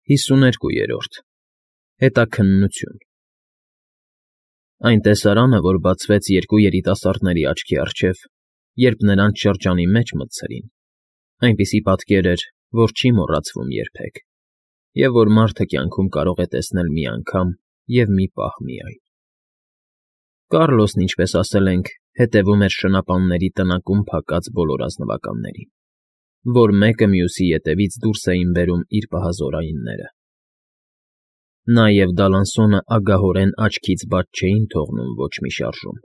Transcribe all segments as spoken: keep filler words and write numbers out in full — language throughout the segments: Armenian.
ՀԻսուներկՈՒԵՐՈՐԴ ՀԵՏԱՔՆՆՈՒԹՅՈՒՆ Այն տեսարանը, որ բացվեց երկու երիտասարդների աչքի առջև, երբ նրանց շրջանի մեջ մտցրին, այնպիսի պատկեր էր, որ չի մոռացվում երբեք, և որ մարդը կյանքում կարող է տեսնել մի անգամ և մի պահ միայն։ Կառլոսն, ինչպես ասել ենք, հետևում էր շնապանների տնակում փակած բոլոր ազնվականներին, որ մեկը մյուսի ետևից դուրս էին բերում իր պահազորայինները։ Նա և Դալանսոնը ագահորեն աչքից բաց չէին թողնում ոչ մի շարժում,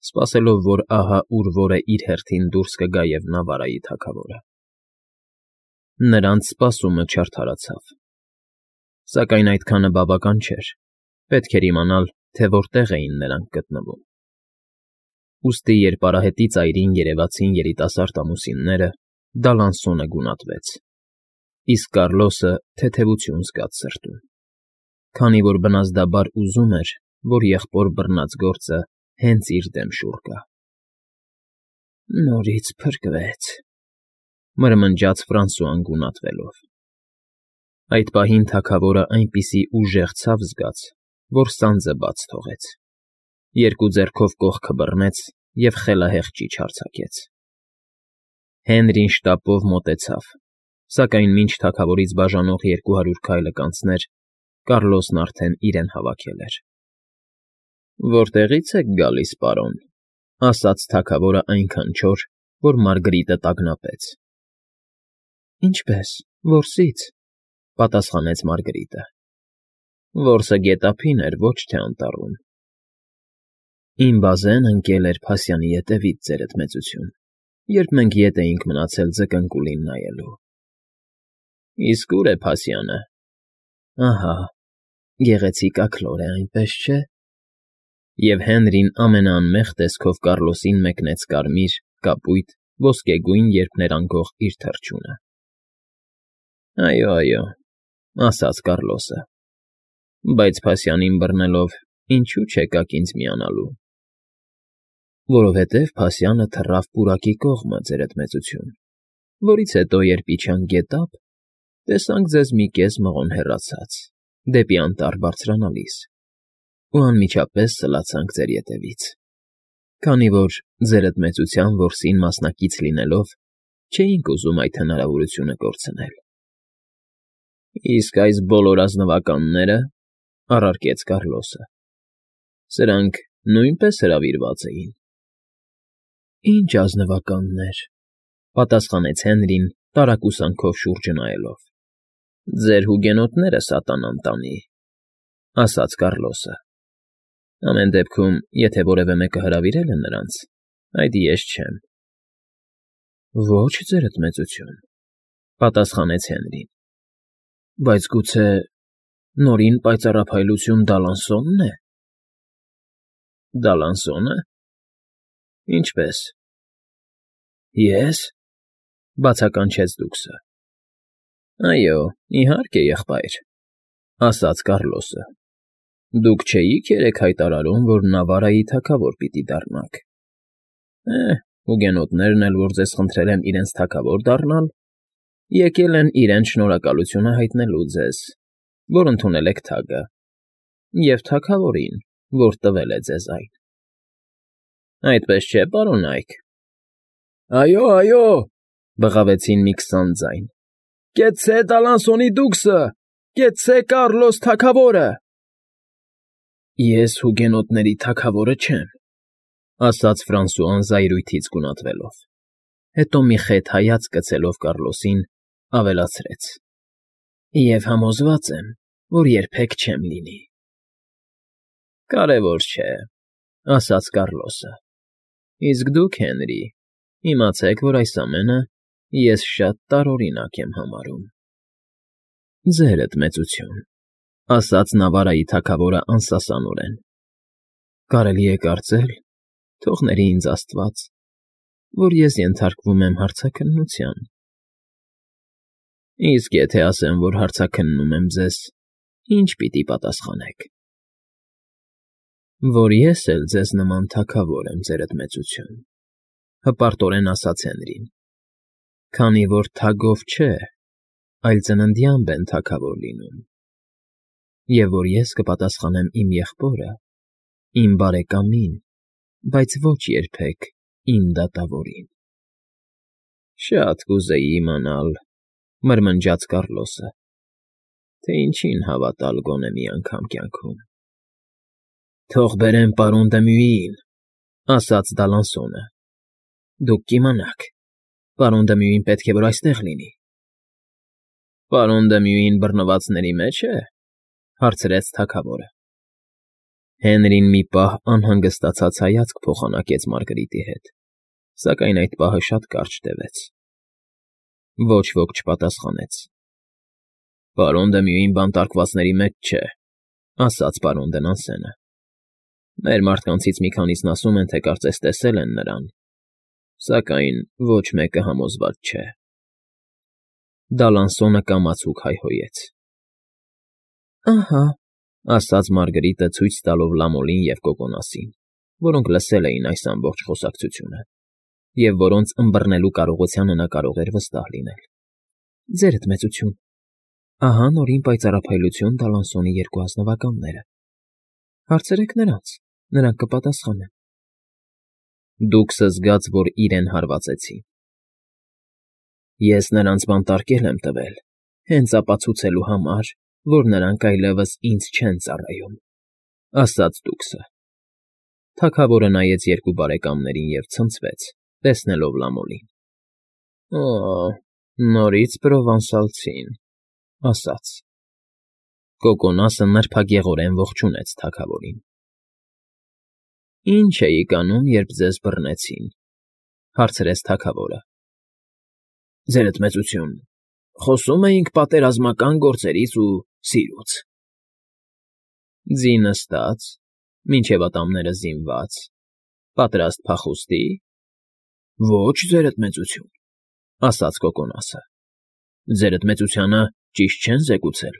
սպասելով, որ ահա ուր֊որը իր հերթին դուրս կգա և Նավարայի թագավորը։ Նրանց սպասումը չարդարացավ։ Սակայն այդքանը բավական չէր, պետք էր իմանալ, թե որտեղ էին նրանք գտնվում։ Ուստի, երբ արահետի ծայրին երևացին երիտասարդ ամուսինները, Դալանսոնը գունատվեց, իսկ Կառլոսը թեթևություն զգաց սրտում, քանի որ բնազդաբար ուզում էր, որ եղբոր բռնած գործը հենց իր դեմ շուռ գա։ «Նորից փրկվեց,֊ մրմնջաց Ֆրանսուան գունատվելով։ Այդ պահին թագավորը այնպիսի ուժեղ ցավ զգաց, որ սանձը բաց թողեց, երկու ձեռքով կողքը բռնեց և խելահեղ ճիչ արձակեց։ Հենրին շտապով մոտեցավ, սակայն մինչ թագավորից բաժանող երկու հարյուր քայլը կանցներ, Կառլոսն արդեն իրեն հավաքել էր։ «Որտեղի՞ց եք գալիս, պարոն,֊ ասաց թագավորը այնքան չոր, որ Մարգրիտը տագնապեց։ «Ինչպե՞ս, որսի՞ց,֊ պատասխանեց Մարգրիտը։ Որսը գետափին էր, ոչ թե անտառում։ Իմ բազեն ընկել էր փասյանի ետևից, ձերդ մեծություն, երբ մենք ետ էինք մնացել ձկնկուլին նայելու։ Իսկ ո՞ւր է փասյանը։ Ահա, գեղեցիկ աքլոր է, այնպես չէ։ Եվ Հենրին ամենաանմեղ տեսքով Կառլոսին մեկնեց կարմիր, կապույտ, ոսկեգույն երկներանգող իր թռչունը։ «Այո, այո,֊ ասաց Կառլոսը,֊ բայց փասյանին բռնելով ինչո՞ւ չեկաք ինձ միանալու։ Որովհետև փասյանը թռավ պուրակի կողմը, ձերդ մեծություն, որից հետո, երբ իջանք գետափ, տեսանք ձեզ մի կես մղոն հեռացած, դեպի անտառ բարձրանալիս, ու անմիջապես սլացանք ձեր ետևից, քանի որ, ձերդ մեծության որսին մասնակից լինելով, չէինք ուզում այդ հնարավորությունը կորցնել։ Իսկ այս բոլոր ազնվականնե՞րը,֊ առարկեց Կառլոսը։ Սրանք նույնպես հրավիրված էին։ «Ինչ ազնվականներ,֊ պատասխանեց Հենրին, տարակուսանքով շուրջը նայելով։ Ձեր հուգենոտները սատանան տանի,֊ ասաց Կառլոսը։ Ամեն դեպքում, եթե որևէ մեկը հրավիրել է նրանց, այդ ես չեմ։ Ոչ, ձերդ մեծություն,֊ պատասխանեց Հենրին։ Բայց գուցե նորին պայծառափայլություն Դալանսո՞նն է։ Դալանսո՞նը։ Ինչպե՞ս։ Ե՞ս,֊ բացականչեց դուքսը։ Այո, իհարկե, եղբայր,֊ ասաց Կառլոսը։ Դուք չէի՞ք երեկ հայտարարում, որ Նավարայի թագավոր պիտի դառնաք։ Է, հուգենոտներն էլ, որ ձեզ խնդրել են իրենց թագավոր դառնալ, եկել են իրենց շնորհակալությունը հայտնելու ձեզ, որ ընդունել եք թագը, և թագավորին, որ տվել է ձեզ այն։ Այդպես չէ՞, պարոն Այք։ Այո, այո,֊ բղավեցին մի քսան ձայն։ Կեցցե Դալանսոնի դուքսը, կեցցե Կառլոս թագավորը։ Ես հուգենոտների թագավորը չեմ,֊ ասաց Ֆրանսուան զայրույթից գունատվելով, հետո մի խեթ հայացք գցելով Կառլոսին, ավելացրեց. Եվ համոզված եմ, որ երբեք չեմ լինի։ Կարևոր չէ,֊ ասաց Կառլոսը։ Իսկ դուք, Հենրի, իմացեք, որ այս ամենը ես շատ տարօրինակ եմ համարում։ Ձերդ մեծություն,֊ ասաց Նավարայի թագավորը անսասանորեն։ Կարելի է կարծել, թող ների ինձ աստված, որ ես ենթարկվում եմ հարցաքննության։ Իսկ եթե ասեմ, որ հարցաքննում եմ ձեզ, ի՞նչ պիտի պատասխանեք։ Որ ես էլ ձեզ նման թագավոր եմ, ձերդ մեծություն,֊ հպարտորեն ասաց Հենրին, քանի որ թագով չէ, այլ ծննդյան բեն թագավոր լինում, և որ ես կպատասխանեմ իմ եղբորը, իմ բարեկամին, բայց ոչ երբեք իմ դատավորին։ ֊ Շատ կուզեի իմանալ,֊ մրմնջաց Կառլոսը,֊ թե ինչին հավատալ գոնե մի անգամ կյանքում։ ֊ Թող բերեմ պարոն Դմյուիին,֊ ասաց Դալանսոնը։ ֊ Դուք կիմանաք, պարոն Դմյուին պետք է որ այստեղ լինի։ ֊ Պարոն Դմյուին բռնվածների մեջ է,֊ հարցրեց թագավորը։ Հենրին մի պահ անհանգստացած հայացք փոխանակեց Մարգարիտի հետ, սակայն այդ պահը շատ կարճ տևեց։ Ոչ ոք չպատասխանեց։ ֊ Պարոն Դմյուին բանտարկվածների մեջ չէ,֊ ասաց պարոն Դնանսենը։ Մեր մարդկանցից մի քանիսն ասում են, թե կարծես տեսել են նրան, սակայն ոչ մեկը համոզված չէ։ Դալանսոնը կամացուկ հայհոյեց։ ֊ Ահա,֊ ասաց Մարգարիտը ցույց տալով Լամոլին և Կոկոնասին, որոնք լսել էին այս ամբողջ խոսակցությունը, և որոնց ըմբռնելու կարողությանը նա կարող էր վստահ լինել։ ֊ Ձերդ մեծություն, ահա նորին պայծառափայլություն Դալանսոնի երկու ազնվականները. հարցրեք նրանց, նրանք կպատասխանեն։ Դուքսը զգաց, որ իրեն հարվածեցին։ ֊ Ես նրանց բանտարկել եմ տվել, հենց ապացուցելու համար, որ նրանք այլևս ինձ չեն ծառայում,֊ ասաց դուքսը։ Թագավորը նայեց երկու բարեկամներին և ցնցվեց, տեսնելով Լամոլին։ ֊ Օ՜, նորից պրովանսալցին,֊ ասաց։ Կոկոնասը նրբագեղորեն ողջունեց թագավորին։ ֊ Ի՞նչ էիք անում, երբ ձեզ բռնեցին,֊ հարցրեց թագավորը։ ֊ Ձերդ մեծություն, խոսում էինք պատերազմական գործերից ու սիրուց։ ֊ Ձի նստա՞ծ, մինչև ատամները զինվա՞ծ, պատրաստ փախուստի։ ֊ Ոչ, ձերդ մեծություն,֊ ասաց Կոկոնասը։ ֊ Ձերդ մեծությանը ճիշտ չեն զեկուցել.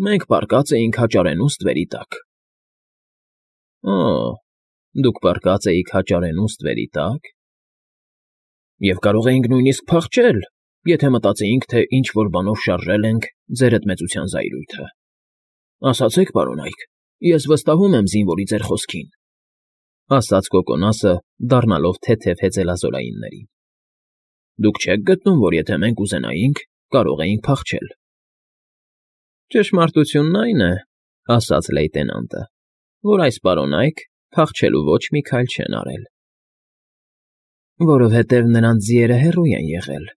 մենք պառկած էինք հաճարենու ստվերի տակ։ ֊ Օ՜, դուք պառկած էիք հաճարենու ստվերի տա՞կ։ ֊ Եվ կարող էինք նույնիսկ փախչել, եթե մտածեինք, թե ինչ֊որ բանով շարժել ենք ձերդ մեծության զայրույթը։ Ասացեք, պարոնայք, ես վստահում եմ զինվորի ձեր խոսքին,֊ ասաց Կոկոնասը, դառնալով թեթև հեծելազորայիններին։ ֊ Դուք չե՞ք գտնում, որ եթե մենք ուզենայինք, կարող էինք փախչել։ ֊ Ճշմարտությունն այն է,֊ ասաց լեյտենանտը,֊ որ այս պարոնայք փախչելու ոչ մի քայլ չեն արել։ ֊ Որովհետև նրանց ձիերը հեռու են եղել,֊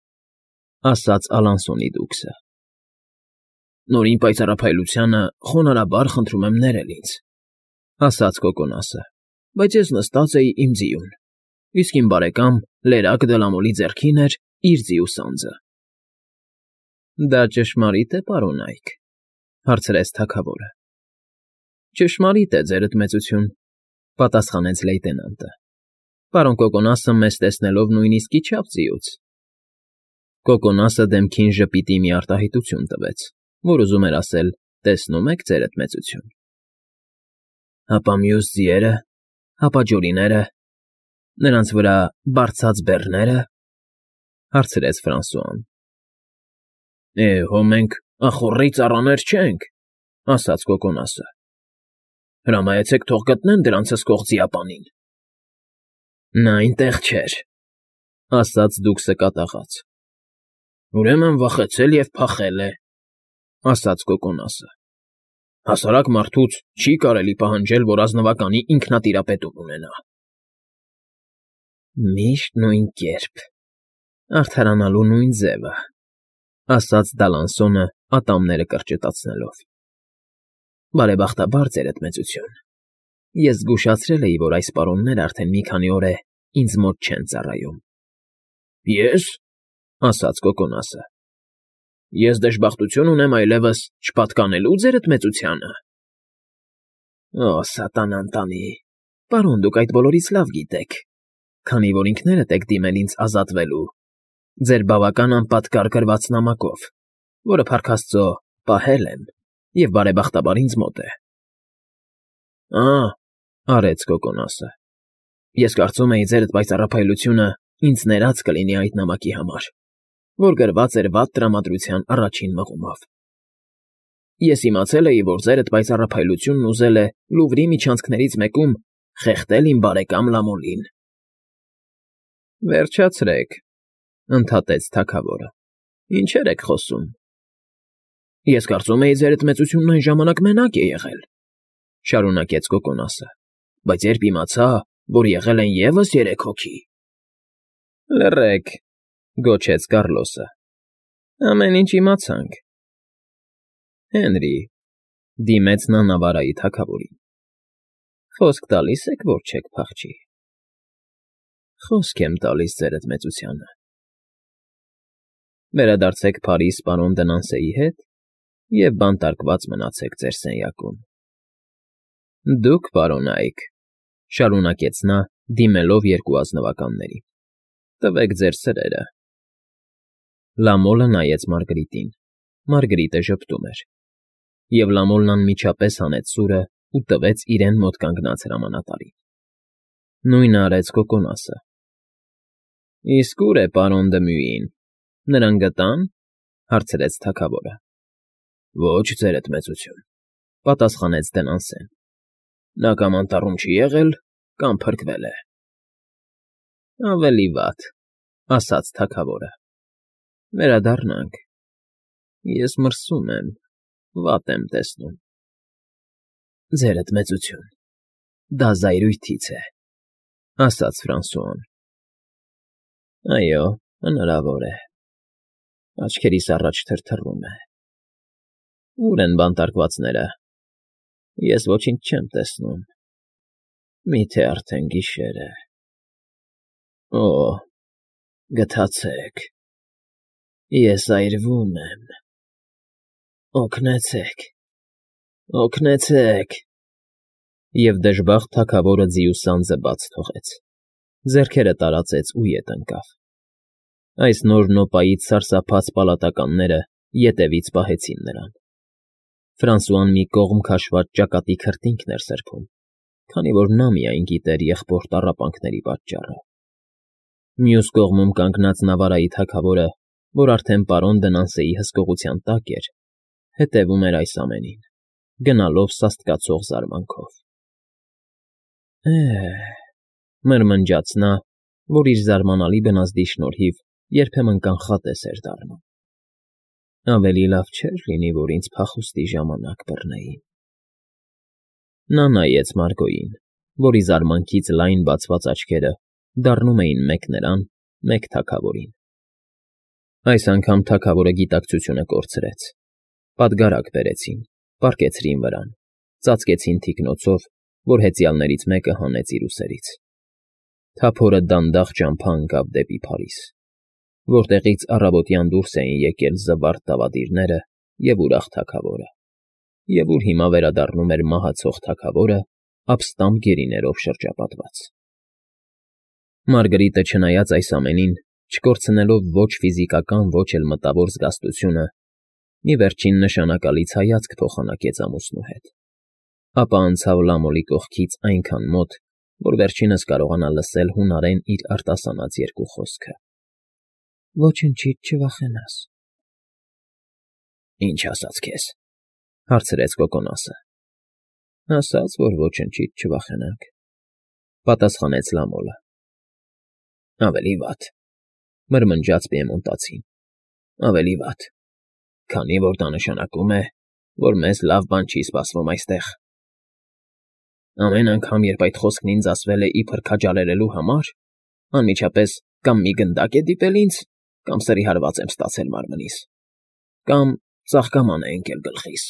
ասաց Ալանսոնի դուքսը։ ֊ Նորին պայծառափայլությանը խոնարհաբար խնդրում եմ ներել ինձ,֊ ասաց Կոկոնասը,֊ բայց ես նստած էի իմ ձիուն, իսկ իմ բարեկամ Լերակ Դլամոլի ձեռքին էր իր ձիու սանձը։ ֊ Դա ճշմարիտ է, պարոնայք,֊ հարցրեց թագավորը։ ֊ Ճշմարիտ է, ձերդ մեծություն,֊ պատասխանեց լեյտենանտը։ Պարոն Կոկոնասը մեզ տեսնելով նույնիսկ իջավ ձիուց։ Կոկոնասը դեմքին ժպիտի մի արտահայտություն տվեց, որ ուզում էր ասել. «Տեսնում եք, ձերդ մեծություն»։ ֊ Հապա մյուս ձիե՞րը, հապա ջորիները, նրանց վրա բարձած բեռնե՞րը,֊ հարցրեց Ֆրանսուան։ ֊ Է, հո մենք ախոռի ծառաներ չենք,֊ ասաց Կոկոնասը։ Հրամայեցեք թող գտնեն դրանց հսկող ձիապանին։ ֊ Նա այնտեղ չէր,֊ ասաց դուքսը կատաղած։ ֊ Ուրեմն վախեցել և փախել է,֊ ասաց Կոկոնասը։ Հասարակ մարդուց չի կարելի պահանջել, որ ազնվականի ինքնատիրապետում ունենա։ ֊ Միշտ նույն կերպ, արդարանալու նույն ձևը,֊ ասաց Դալանսոնը ատամները կրճտացնելով։ ֊ Բարեբախտաբար, ձերդ մեծություն, ես զգուշացրել էի, որ այս պարոններն արդեն մի քանի օր է ինձ մոտ չեն ծառայում։ ֊ Ե՞ս,֊ ասաց Կոկոնասը,֊ ես դժբախտություն ունեմ այլևս չպատկանելու ձերդ մեծությանը։ ֊ Օ, սատանան տանի, պարոն, դուք այդ բոլորից լավ գիտեք, քանի որ ինքներդ եք դիմել ինձ ազատվելու ձեր բավական անպատկառ գրված նամակով, որը, փառք աստծո, պահել եմ և բարեբախտաբար ինձ մոտ է։ ֊ Ա՛, արեց Կոկոնասը,֊ ես կարծում էի, ձերդ պայծառափայլությունը ինձ ներած կլինի այդ նամակի համար, որ գրված էր վատ տրամադրության առաջին մղումով։ Ես իմացել էի, որ ձերդ պայծառափայլությունն ուզել է Լուվրի միջանցքներից մեկում խեղդել իմ բարեկամ Լամոլին։ Վերջացրեք, ընդհատեց թագավորը։ Ինչեր եք խոսում։ Ես կարծում էի, ձերդ մեծությունն այն ժամանակ մենակ է եղել, շարունակեց Կոկոնասը, բայց երբ իմացա, որ եղել են ևս երեք հոգի։ Լռեք, գոչեց Կառլոսը։ Ամեն ինչ իմացանք։ Հենրի, դիմեց նա նավարայի թագավորին։ Խոսք տալի՞ս եք, որ չեք փախչի։ Խոսք եմ տալիս ձերդ մեծությանը։ Վերադարձեք Փարիզ պարոն Դնանսեի հետ և բանտարկված մնացեք ձեր սենյակում։ Դուք, պարոն Այք, շարունակեց նա, դիմելով երկու ազնվականներին, տվեք ձեր սրերը։ Լամոլը նայեց Մարգրիտին, Մարգրիտը ժպտում էր, և Լամոլն անմիջապես հանեց սուրը ու տվեց իրեն մոտ կանգնած հրամանատարին։ Նույնը արեց Կոկոնասը։ Իսկ ո՞ւր է պարոն Դմյուին, նրան գտա՞ն, հարցրեց թագավորը։ Ոչ, ձերդ մեծություն, պատասխանեց Դնանսեն։ Նա կամ անտառում չի եղել, կամ փրկվել է։ Ավելի վատ, ասաց թագավորը։ Վերադառնանք։ Ես մրսում եմ, վատ եմ տեսնում։ Ձերդ մեծություն, դա զայրույթից է, ասաց Ֆրանսուան։ Այո, հնարավոր է։ Աչքերիս առաջ թրթռում է։ Ո՞ւր են բանտարկվածները։ Ես ոչինչ չեմ տեսնում։ Միթե արդեն գիշեր է։ Օ, գթացեք։ Ես այրվում եմ։ Օգնեցեք։ Օգնեցեք։ Եվ դժբախտ թագավորը ձիուսանձը բաց թողեց։ Ձեռքերը տարածեց ու ետ ընկավ։ Այս նոր նոպայից սարսափած պալատականները ետևից պահեցին նրան։ Ֆրանսուան մի կողմ քաշված ճակատի քրտինքն էր սրբում, քանի որ նա միայն գիտեր եղբոր տառապանքների պատճառը։ Մյուս կողմում կանգնած նավարայի թագավորը, որ արդեն պարոն Դնանսեի հսկողության տակ էր, հետևում էր այս ամենին, գնալով սաստկացող զարմանքով։ Է՜, մրմնջաց նա, որ իր զարմանալի բնազդի շնորհիվ երբեմն կանխատես էր դառնում։ Ավելի լավ չէր լինի, որ ինձ փախուստի ժամանակ բռնեին։ Նա նայեց Մարգոյին, որի զարմանքից լայն բացված աչքերը դառնում էին մեկ նրան, մեկ թագավորին։ Այս անգամ թագավորը գիտակցությունը կորցրեց։ Պատգարակ բերեցին, պառկեցրին վրան, ծածկեցին թիկնոցով, որ հեծյալներից մեկը հանեց իր ուսերից։ Թափորը դանդաղ ճամփա ընկավ դեպի Փարիզ, որտեղից առավոտյան դուրս էին եկել զվարթ դավադիրները և ուրախ թագավորը, և ուր հիմա վերադառնում էր մահացող թագավորը, ապստամբ գերիներով շրջապատված։ Մարգրիտը, չնայած այս ամենին, չկորցնելով ոչ ֆիզիկական, ոչ էլ մտավոր զգաստությունը, մի վերջին նշանակալից հայացք փոխանակեց ամուսնու հետ, ապա անցավ Լամոլի կողքից այնքան մոտ, որ վերջինս կարողանա լսել հունարեն իր արտասանած երկու խոսքը. Ոչնչից չվախենաս։ Ինչ ասաց քեզ, հարցրեց Կոկոնասը։ Ասաց, որ ոչնչից չվախենանք, պատասխանեց Լամոլը։ Ավելի վատ, մրմնջաց Պիեմոնտացին, ավելի վատ, քանի որ դա նշանակում է, որ մեզ լավ բան չի սպասվում այստեղ։ Ամեն անգամ, երբ այդ խոսքն ինձ ասվել է իբր քաջալերելու համար, անմիջապես կամ մի գնդակ է դիպել ինձ, կամ սրի հարված եմ ստացել մարմնիս, կամ ծաղկաման է ընկել գլխիս։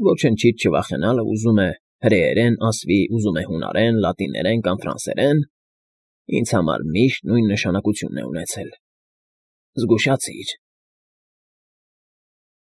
Ոչնչից չվախենալը ուզում է հրեերեն ասվի, ուզում է հունարեն, լատիներեն կամ ֆրանսերեն, ինձ համար միշտ նույն նշանակությունն է ունեցել։ Զգուշացիր,